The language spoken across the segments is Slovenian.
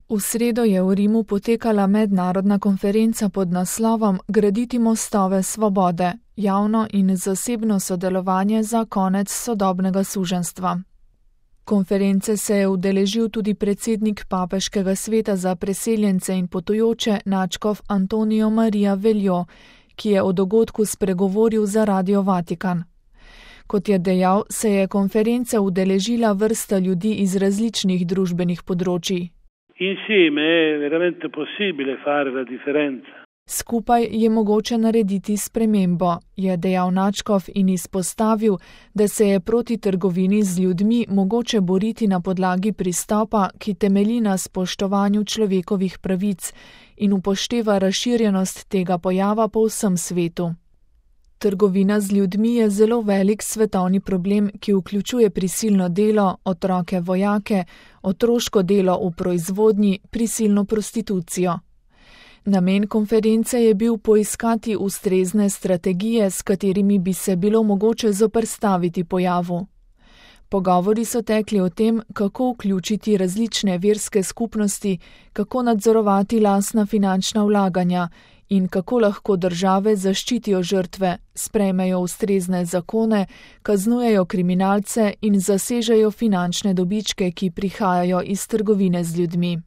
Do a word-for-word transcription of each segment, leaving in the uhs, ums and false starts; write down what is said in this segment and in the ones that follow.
V sredo je v Rimu potekala mednarodna konferenca pod naslovom Graditi mostove svobode, javno in zasebno sodelovanje za konec sodobnega suženjstva. Konference se je udeležil tudi predsednik Papeškega sveta za preseljence in potujoče nadškof Antonijo Marija Veljo, ki je o dogodku spregovoril za Radio Vatikan. Kot je dejal, se je konference udeležila vrsta ljudi iz različnih družbenih področij. Insieme è veramente possibile fare la differenza. Skupaj je mogoče narediti spremembo, je dejal nadškof in izpostavil, da se je proti trgovini z ljudmi mogoče boriti na podlagi pristopa, ki temelji na spoštovanju človekovih pravic in upošteva razširjenost tega pojava po vsem svetu. Trgovina z ljudmi je zelo velik svetovni problem, ki vključuje prisilno delo, otroke vojake, otroško delo v proizvodnji, prisilno prostitucijo. Namen konference je bil poiskati ustrezne strategije, s katerimi bi se bilo mogoče zoperstaviti pojavu. Pogovori so tekli o tem, kako vključiti različne verske skupnosti, kako nadzorovati lastna finančna vlaganja in kako lahko države zaščitijo žrtve, sprejmejo ustrezne zakone, kaznujejo kriminalce in zasežejo finančne dobičke, ki prihajajo iz trgovine z ljudmi.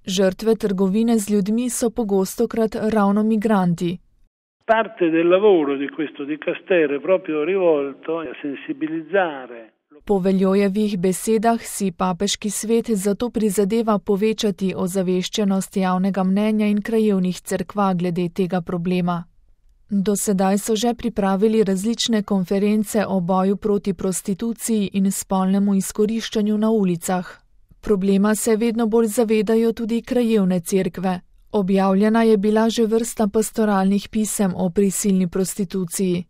Žrtve trgovine z ljudmi so pogostokrat ravno migranti. Parte del lavoro di questo dicastero è proprio rivolto a sensibilizzare. Po Veljojevih besedah si Papeški svet zato prizadeva povečati ozaveščenost javnega mnenja in krajevnih cerkva glede tega problema. Do sedaj so že pripravili različne konference o boju proti prostituciji in spolnemu izkoriščanju na ulicah. Problema se vedno bolj zavedajo tudi krajevne cerkve. Objavljena je bila že vrsta pastoralnih pisem o prisilni prostituciji.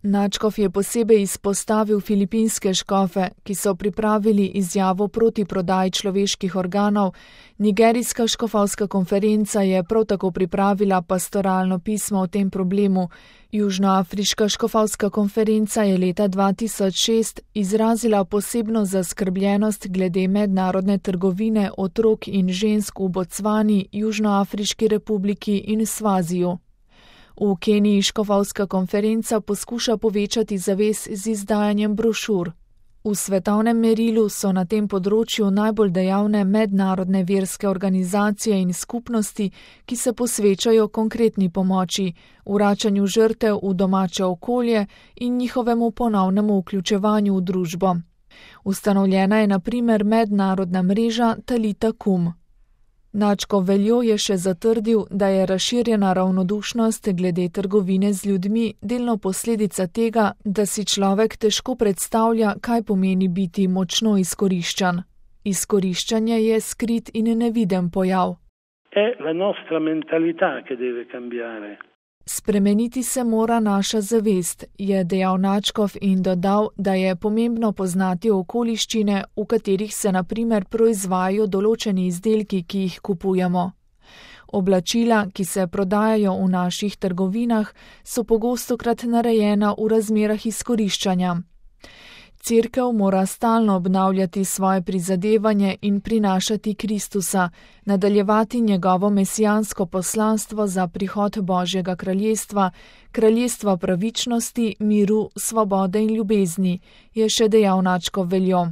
Nadškof je posebej izpostavil filipinske škofe, ki so pripravili izjavo proti prodaji človeških organov, nigerijska škofovska konferenca je prav tako pripravila pastoralno pismo o tem problemu, južnoafriška škofovska konferenca je leta dva tisoč šest izrazila posebno zaskrbljenost glede mednarodne trgovine otrok in žensk v Bocvani, Južnoafriški republiki in Svaziju. V Keniji škofovska konferenca poskuša povečati zavest z izdajanjem brošur. V svetovnem merilu so na tem področju najbolj dejavne mednarodne verske organizacije in skupnosti, ki se posvečajo konkretni pomoči, vračanju žrtev v domače okolje in njihovemu ponovnemu vključevanju v družbo. Ustanovljena je na primer mednarodna mreža Talita Kum. Nadškof Veljo je še zatrdil, da je razširjena ravnodušnost glede trgovine z ljudmi delno posledica tega, da si človek težko predstavlja, kaj pomeni biti močno izkoriščan. Izkoriščanje je skrit in neviden pojav. È la nostra mentalità che deve cambiare. Spremeniti se mora naša zavest, je dejal nadškof in dodal, da je pomembno poznati okoliščine, v katerih se na primer proizvajajo določeni izdelki, ki jih kupujemo. Oblačila, ki se prodajajo v naših trgovinah, so pogostokrat narejena v razmerah izkoriščanja. Cerkev mora stalno obnavljati svoje prizadevanje in prinašati Kristusa, nadaljevati njegovo mesijansko poslanstvo za prihod Božjega kraljestva, kraljestva pravičnosti, miru, svobode in ljubezni, je še dejal nadškof Veljo.